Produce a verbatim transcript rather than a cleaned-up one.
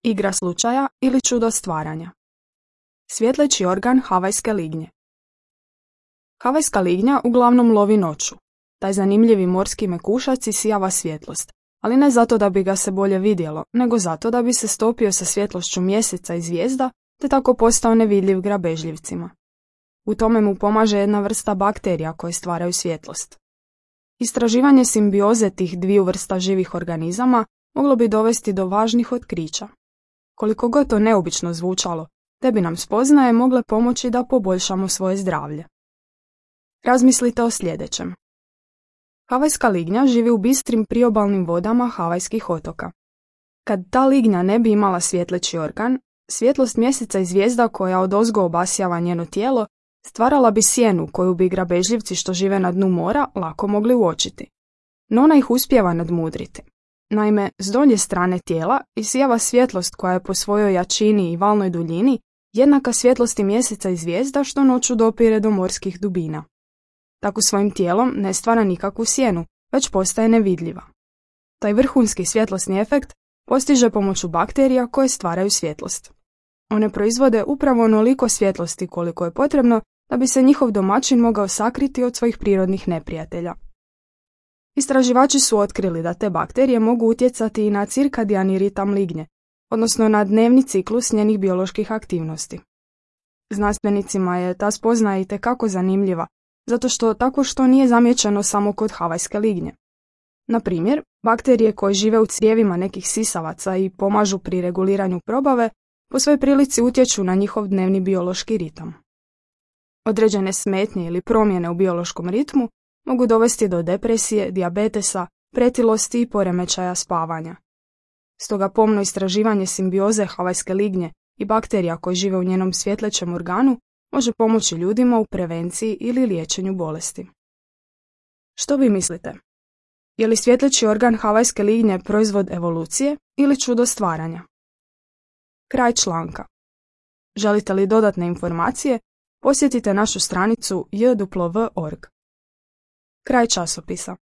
Igra slučaja ili čudo stvaranja. Svjetleći organ havajske lignje. Havajska lignja uglavnom lovi noću. Taj zanimljivi morski mekušac isijava svjetlost, ali ne zato da bi ga se bolje vidjelo, nego zato da bi se stopio sa svjetlošću mjeseca i zvijezda, te tako postao nevidljiv grabežljivcima. U tome mu pomaže jedna vrsta bakterija koje stvaraju svjetlost. Istraživanje simbioze tih dviju vrsta živih organizama moglo bi dovesti do važnih otkrića. Koliko god to neobično zvučalo, te bi nam spoznaje mogle pomoći da poboljšamo svoje zdravlje. Razmislite o sljedećem. Havajska lignja živi u bistrim priobalnim vodama havajskih otoka. Kad ta lignja ne bi imala svjetleći organ, svjetlost mjeseca i zvijezda koja odozgo obasjava njeno tijelo stvarala bi sjenu koju bi grabežljivci što žive na dnu mora lako mogli uočiti. No ona ih uspijeva nadmudriti. Naime, s donje strane tijela isijava svjetlost koja je po svojoj jačini i valnoj duljini jednaka svjetlosti mjeseca i zvijezda što noću dopire do morskih dubina. Tako svojim tijelom ne stvara nikakvu sjenu, već postaje nevidljiva. Taj vrhunski svjetlosni efekt postiže pomoću bakterija koje stvaraju svjetlost. One proizvode upravo onoliko svjetlosti koliko je potrebno da bi se njihov domaćin mogao sakriti od svojih prirodnih neprijatelja. Istraživači su otkrili da te bakterije mogu utjecati i na cirkadijani ritam lignje, odnosno na dnevni ciklus njenih bioloških aktivnosti. Znanstvenicima je ta spoznaja itekako zanimljiva, zato što tako što nije zamijećeno samo kod havajske lignje. Na primjer, bakterije koje žive u crijevima nekih sisavaca i pomažu pri reguliranju probave, po svojoj prilici utječu na njihov dnevni biološki ritam. Određene smetnje ili promjene u biološkom ritmu mogu dovesti do depresije, dijabetesa, pretilosti i poremećaja spavanja. Stoga pomno istraživanje simbioze havajske lignje i bakterija koje žive u njenom svjetlećem organu može pomoći ljudima u prevenciji ili liječenju bolesti. Što vi mislite? Je li svjetleći organ havajske lignje proizvod evolucije ili čudo stvaranja? Kraj članka. Želite li dodatne informacije? Posjetite našu stranicu j w w punto org. Kraj časopisa.